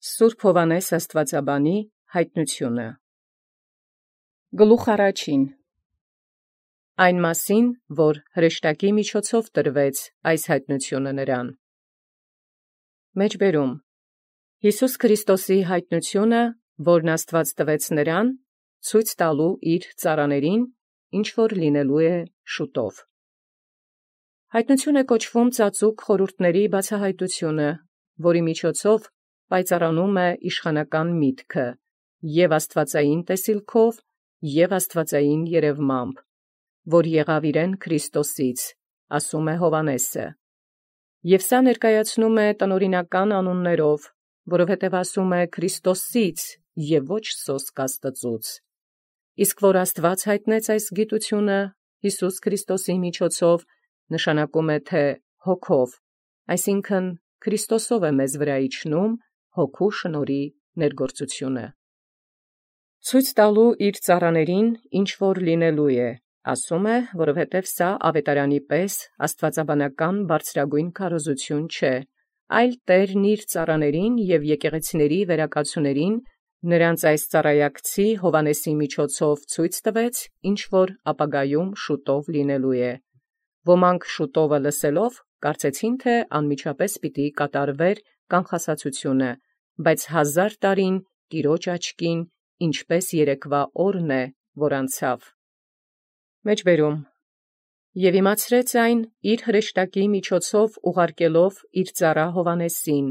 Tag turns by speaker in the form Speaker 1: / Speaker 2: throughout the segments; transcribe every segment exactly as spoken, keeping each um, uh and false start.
Speaker 1: Սուրբ Հովհաննես Աստուածաբանի հայտնությունը։ Գլուխ առաջին. Այն մասին, որ հրեշտակի միջոցով տրվեց այս հայտնությունը նրան։ Մեջբերում. Յիսուս Քրիստոսի հայտնությունը, որն Աստված տվեց նրան, ցույց տալու իր ծառաներին, ինչ որ լինելու է շուտով։ Հայտնություն է կոչվում ծածուկ խորհուրդների բացահայտությունը, որի միջոցով պայծառանում է իշխանական միտքը, և աստվածային տեսիլքով, և աստվածային երևմամբ, որ եղավ իրեն Քրիստոսից, ասում է Հովհաննեսը։ Եւ սա ներկայացնում է տնօրինական անուններով, որովհետև ասում է Քրիստոսից և ոչ սոսկ Աստծուց։ Իսկ որ Աստված հայտնեց այս գիտությունը Յիսուս Քրիստոսի միջոցով, նշանակում է թե հոգով, այսինքն Քրիստոսով է մեզ վրա իջնում հոգու շնորհի ներգործությունը։ Ցույց տալու իր ծառաներին, ինչ որ լինելու է, ասում է, որովհետև սա ավետարանի պես աստվածաբանական բարձրագույն քարոզություն չէ, այլ Տերն իր ծառաներին և եկեղեցիների վերակացուներին նրանց այս ծառայակցի Հովհաննեսի միջոցով ցույց տվեց, ինչ որ ապագայում շուտով լինելու է։ Ոմանք շուտովը լսելով կարծեցին, թե անմիջապես պիտի կատարվեր կանխասացությունը, բայց հազար տարին Տիրոջ աչքին, ինչպես երեկվա օրն է, որ անցավ։ Մեջբերում. Եւ իմացրեց այն իր հրեշտակի միջոցով ուղարկելով իր ծառա Հովհաննեսին,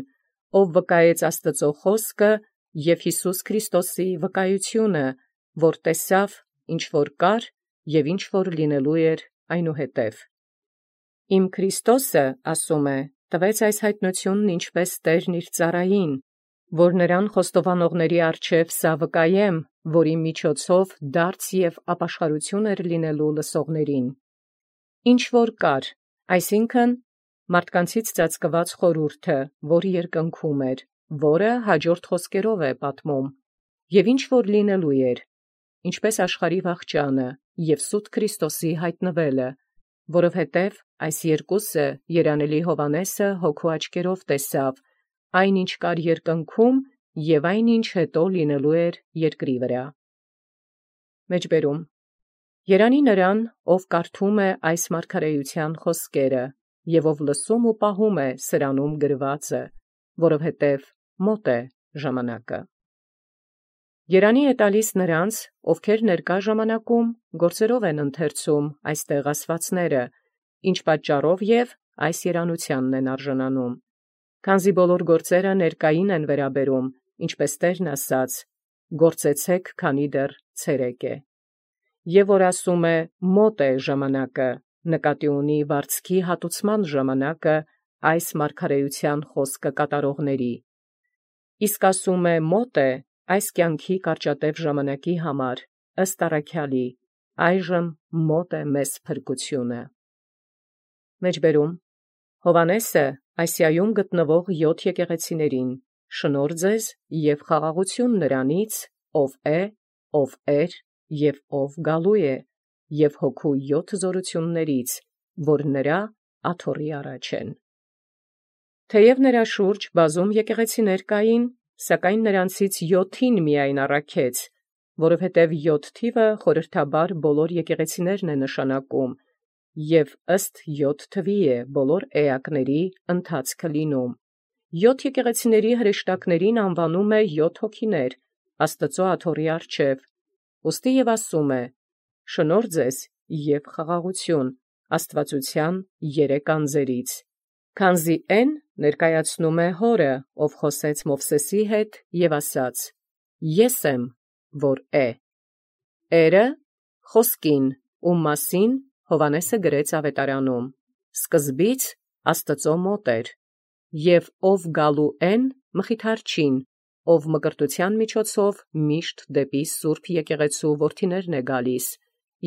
Speaker 1: ով վկայեց Աստծո խոսքը և Յիսուս Քրիստոսի վկայությունը, որ տեսավ, ինչ որ կար և ինչ որ լինելու էր այնուհետև։ Իմ Քրիստոսը, ասում է, տվեց այս հայտնությունն ինչպես Տերն իր ծառային, որ նրան խոստովանողների առջև սա վկայեմ, որի միջոցով դարձ և ապաշխարություն էր լինելու լսողներին։ Ինչ որ կար, այսինքն մարդկանցից ծածկված խորհուրդը, որ երկնքում էր, որը հաջորդ խոսքերով է պատմում, և ինչ որ լինելու էր, ինչպես աշխարհի վախճանը և սուտ Քրիստոսի հայտնվելը, որովհետև այս երկուսը երանելի Հովհաննեսը հոգու աչքերով տեսավ, այն ինչ կար երկնքում և այն ինչ հետո լինելու էր երկրի վրա։ Մեջբերում. Երանի նրան, ով կարդում է այս մարգարեության խոսքերը, և ով լսում ու պահում է սրանում գրվածը, որովհետև մոտ է ժամանակը։ Երանի է տալիս նրանց, ովքեր ներկա ժամանակում գործերով են ընթերցում այստեղ ասվածները, ինչ պատճառով և այս երանությանն են արժանանում։ Քանզի բոլոր գործերը ներկային են վերաբերում, ինչպես Տերն ասաց. «Գործեցեք, քանի դեռ ցերեկ է»։ Եվ որ ասում է մոտ է ժամանակը, նկատի ունի վարձքի հատուցման ժամանակը այս մարգարեության խոսքը կատարողների։ Իսկ ասում է մոտ է այս կյանքի կարճատև ժամանակի համար, ըստ առաքյալի, այժմ մոտ է մեզ փրկությունը։ Մեջբերում. Հովհաննեսը Ասիայում գտնվող յոթ եկեղեցիներին, շնորհ ձեզ և խաղաղություն նրանից, ով է, ով էր և ով գալու է, և հոգու յոթ զորություններից, որ նրա աթոռի առաջ են։ Թեև նրա շուրջ բազում եկեղեցիներ կային, սակայն նրանցից յոթին միայն առաքեց, որովհետև յոթ թիվը խորհրդաբար բոլոր եկեղեցիներն է նշանակում, և ըստ յոթ թվի է բոլոր էակների ընթացքը լինում։ Յոթ եկեղեցիների հրեշտակներին անվանում է յոթ հոգիներ, Աստծո աթոռի առջև, ուստի և ասում է. շնորհ ձեզ և խաղաղություն աստվածության երեք անձերից, քանզի էն ներկայացնում է Հորը, ով խոսեց Մովսեսի հետ և ասաց. Ես եմ, որ է։ Էրը խոսքին, ում մասին Հովհաննեսը գրեց ավետարանում, սկզբից Աստծո մոտ էր, և ով գալու են Մխիթարչին, ով մկրտության միջոցով միշտ դեպի Սուրբ եկեղեցու որդիներն է գալիս,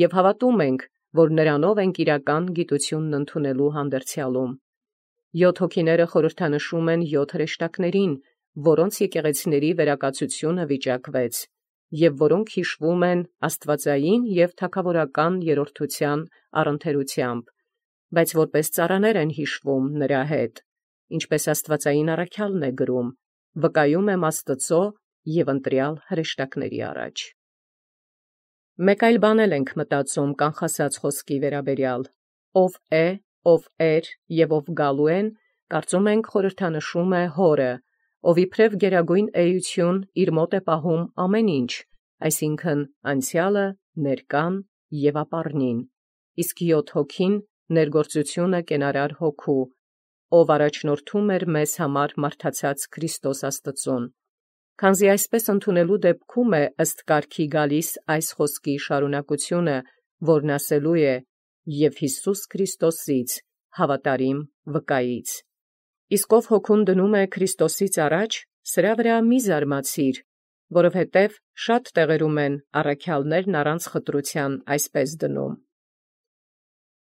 Speaker 1: և հավատում ենք, որ նրանով ենք իրական գիտությունն ընդունելու հանդերձյալում։ Յոթ հոգիները խորհրդանշում են յոթ հրեշտակներին, որոնց եկեղեցիների վերակացությունը վիճակվեց, և որոնք հիշվում են աստվածային և թագավորական երրորդության առընթերությամբ, բայց որպես ծառաներ են հիշվում նրա հետ, ինչպես աստվածային առաքյալն է գրում. վկայում եմ Աստծո և ընտրյալ հրեշտակների առաջ։ Մեկ այլ բան էլ ենք մտածում կանխասած խոսքի վերաբերյալ. ով է, ով էր և ով գալու են, կարծում ենք խորհրդանշում է Հորը, ով իբրև գերագույն էություն իր մոտ է պահում ամեն ինչ, այսինքն անցյալը, ներկան և ապառնին, իսկ յոթ հոգին ներգործությունը կենարար հոգու, ով առաջնորդում էր մեզ համար մարդացած Քրիստոս Աստծուն։ Քանզի այսպես ընդունելու դեպքում է ըստ կարգի գալիս այս խոսքի շարունակությունը, որն ասելու է «և Յիսուս Քրիստոսից, հավատարիմ վկայից»։ Իսկ ով հոգուն դնում է Քրիստոսից առաջ, սրա վրա մի զարմացիր, որովհետև շատ տեղերում են առաքյալներն առանց խտրության այսպես դնում.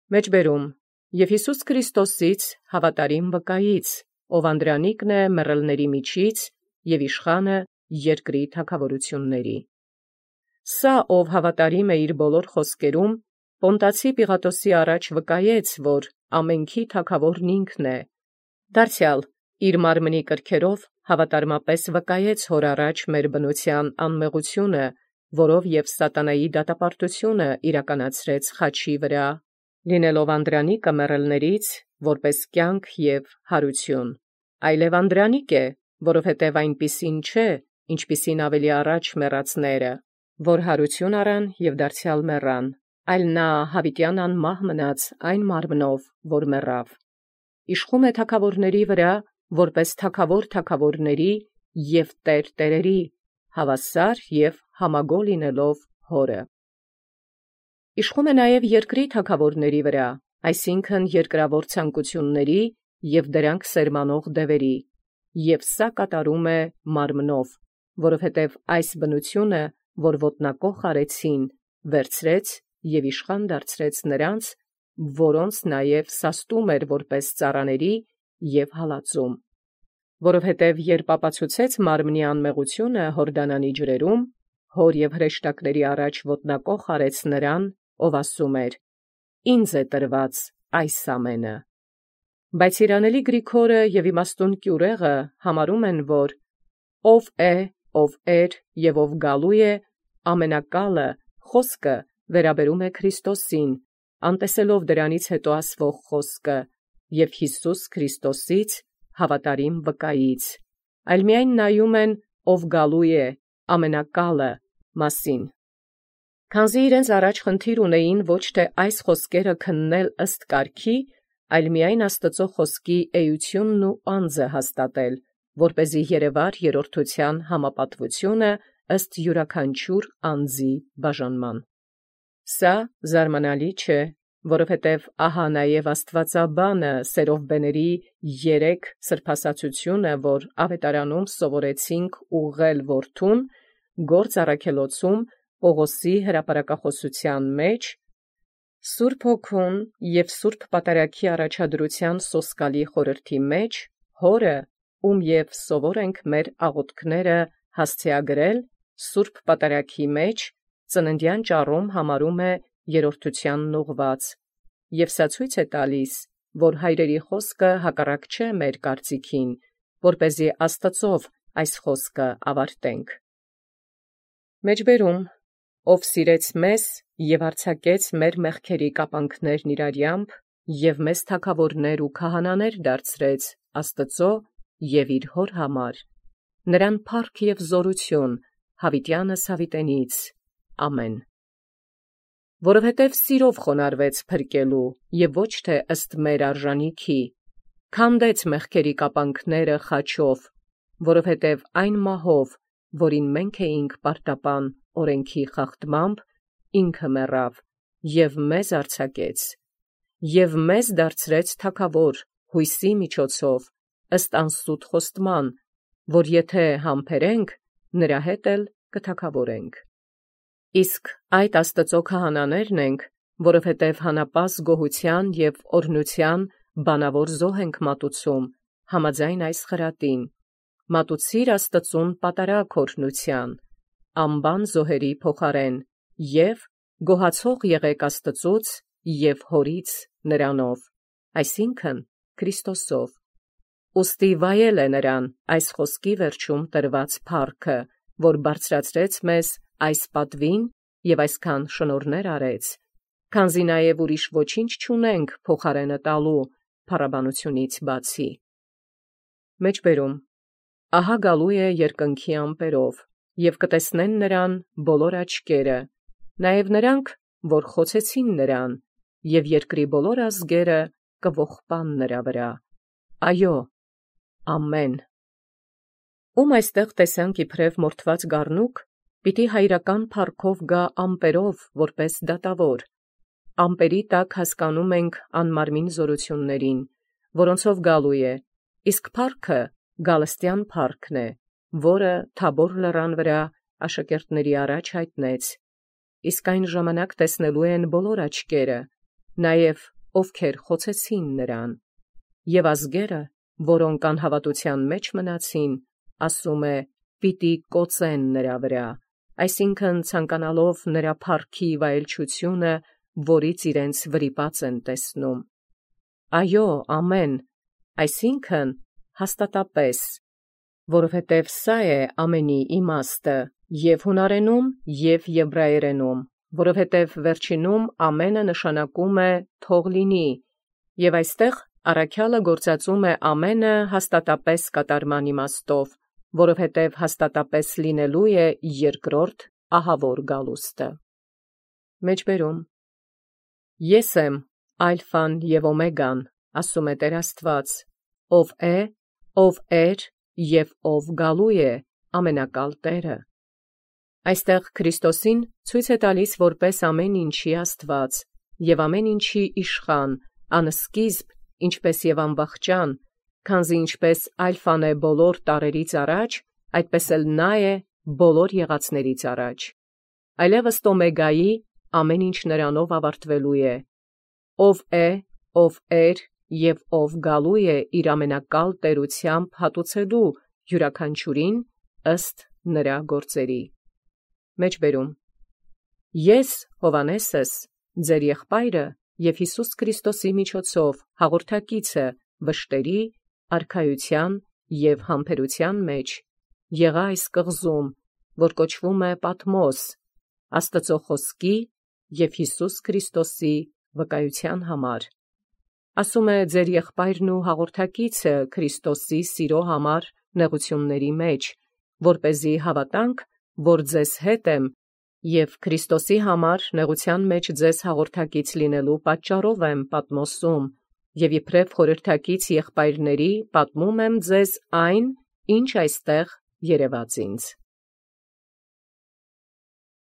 Speaker 1: Մեջբերում և Յիսուս Քրիստոսից, հավատարիմ վկայից, ով անդրանիկն է մեռելների միջից և իշխանը երկրի թագավորությունների։ Սա, ով հավատարիմ է իր բոլոր խոսքերում, Պոնտացի Պիղատոսի առաջ վկայեց, որ ամենքի թագավորն ինքն է, դարձյալ իր մարմնի կրքերով հավատարմապես վկայեց Հոր առաջ մեր բնության անմեղությունը, որով և սատանայի դատապարտությունը իրականացրեց խաչի վրա, լինելով անդրանիկը մեռելներից, որպես կյանք և հարություն, այլև անդրանիկ է, որովհետև այնպիսին չէ, ինչպիսին ավելի առաջ մեռածները, որ հարություն առան և դարձյալ մեռան, այլ նա յաւիտեան անմահ մնաց այն մարմնով, որ մեռավ։ Իշխում է թագաւորների վրա, որպես թագաւոր թագաւորների և տեր տերերի, հավասար և համագոյն լինելով Հորը։ Իշխում է նաև երկրի թագաւորների վրա, այսինքն երկրավոր ցանկությունների և դրանք սերմանող դևերի, և սա կատարում է մարմնով, որովհետև այս բնությունը, որ ոտնակոխ արեցին, վերցրեց և իշխան դարձրեց նրանց, որոնց նաև սաստում էր որպես ծառաների և հալածում։ Որովհետև երբ ապացուցեց մարմնի անմեղությունը Յորդանանի ջրերում, Հոր և հրեշտակների առաջ ոտնակոխ արեց նրան, ով ասում էր. «Ինձ է տրված այս ամենը»։ Բայց երանելի Գրիգորը և իմաստուն կյուրեղը համարում են, որ «ով է, ով էր և ով գալու է» ամենակալը խոսքը վերաբերում է Քրիստոսին, անտեսելով դրանից հետո ասվող խոսքը «և Յիսուս Քրիստոսից, հավատարիմ վկայից», այլ միայն նայում են «ով գալու է» ամենակալը մասին։ Քանզի իրենց առաջ խնդիր ունեին ոչ թե այս խոսքերը քննել ըստ կարգի, այլ միայն Աստծո խոսքի էությունն ու անձը հաստատել, որպեսզի երևար երրորդության համապատվությունը ըստ յուրաքանչյուր անձի բաժանման։ Սա զարմանալի չէ, որովհետև ահա նաև աստվածաբանը սերովբեների երեք սրբասացությունը, որ ավետարանում սովորեցինք ուղղել որդուն, գործ առաքելոցում Պողոսի հրապարակախոսութեան մեջ, Սուրբ Հոգուն և Սուրբ Պատարագի առաջադրութեան սոսկալի խորհրդի մեջ, Հորը, ում և սովոր ենք մեր աղոթքները հասցեագրել, Սուրբ Պատարագի մեջ ծննդեան ճառում համարում է երրորդությանն ուղղված, և սա ցույց է տալիս, որ հայրերի խոսքը հակառակ չէ մեր կարծիքին, որպեսզի Աստծով այս խոսքը ավարտենք։ Մեջբերում ով սիրեց մեզ և արձակեց մեր մեղքերի կապանքներն իր արյամբ և մեզ թագաւորներ ու քահանաներ դարձրեց Աստծո և իր Հոր համար, նրան փառք և զօրություն յաւիտեանս յաւիտենից. ամեն։ Որովհետև սիրով խոնարհվեց փրկելու և ոչ թե ըստ մեր արժանիքի, քանդեց մեղքերի կապանքները խաչով, որովհետև այն մահով, որին մենք էինք պարտապան օրենքի խախտմամբ, ինքը մեռավ և մեզ արձակեց, և մեզ դարձրեց թագաւոր յույսի միջոցով, ըստ անսուտ խոստման, որ եթե համբերենք, նրա հետ էլ կթագաւորենք։ Իսկ այդ Աստծո քահանաներն ենք, որովհետև հանապազգ գոհութեան և օրհնութեան բանաւոր զոհ ենք մատուցում, համաձայն այս խրատին. «Մատուցիր Աստծուն պատարագ օրհնութեան, անբան զոհերի փոխարեն, և գոհացող եղեք Աստծուց և Հորից նրանով», այսինքն Քրիստոսով։ ուստի վայել է նրան այս խոսքի վերջում տրված փառքը, որ բարձրացրեց մեզ այս պատվին և այսքան շնորհներ արեց, քանզի նաև ուրիշ ոչինչ չունենք փոխարենը տալու փառաբանությունից բացի։ Մեջբերում ահա գալու է երկնքի ամպերով, և կտեսնեն նրան բոլոր աչքերը, նաև նրանք, որ խոցեցին նրան, և երկրի բոլոր ազգերը կողբան նրա վրա։ Այո, ամեն։ Ում այստեղ տեսանք իբրև մորթված գառնուկ, պիտի հայրական փառքով գա ամպերով որպես դատավոր։ Ամպերի տակ հասկանում ենք անմարմին զորություններին, որոնցով գալու է, իսկ փառքը գալստյան փառքն է, որը Թաբոր լեռան վրա աշակերտների առաջ յայտնեց, իսկ այն ժամանակ տեսնելու են բոլոր աչքերը, նաև ովքեր խոցեցին նրան, և ազգերը, որոնք անհավատության մեջ մնացին, ասում է, պիտի կոծեն նրա վրա, այսինքն ցանկանալով նրա փառքի վայելչությունը, որից իրենց վրիպած են տեսնում։ Այո, ամեն, այսինքն հաստատապես, որովհետև սա է ամենի իմաստը, և հունարենում, և եբրայերենում, որովհետև վերջինում ամենը նշանակում է թող լինի, և այստեղ առաքյալը գործածում է ամենը հաստատապես կատարման իմաստով, որովհետև հաստատապես լինելու է երկրորդ ահավոր գալուստը։ Մեջբերում Ես եմ ալֆան և օմեգան, ասում է Տեր Աստված, ով է, ով էր և ով գալու է, ամենակալ Տերը։ Այստեղ Քրիստոսին ցույց է տալիս որպես ամեն ինչի Աստված և ամեն ինչի իշխան, անսկիզբ, ինչպես և անվախճան, քանզի ինչպես ալֆան է բոլոր տարերից առաջ, այդպես էլ նա է բոլոր եղածներից առաջ։ Այլևս օմեգայի ամեն ինչ նրանով ավարտվելու է, ով է, ով էր և ով գալու է իր ամենակալ տերությամբ հատուցելու յուրաքանչյուրին ըստ նրա գործերի։ Մեջբերում Ես Հովհաննեսս, ձեր եղբայրը և Յիսուս Քրիստոսի միջոցով հաղորդակիցը վշտերի, արքայության և համբերության մեջ, եղա այս կղզում, որ կոչվում է Պատմոս, Աստծու խոսքի և Յիսուս Քրիստոսի վկայության համար։ Ասում է ձեր եղբայրն ու հաղորդակիցը Քրիստոսի սիրո համար նեղությունների մեջ, որպեսզի հավատանք, որ ձեզ հետ եմ, և Քրիստոսի համար նեղության մեջ ձեզ հաղորդակից լինելու պատճառով եմ Պատմոսում, և իբրև խորհրդակից եղբայրների պատմում եմ ձեզ այն, ինչ այստեղ երևաց ինձ։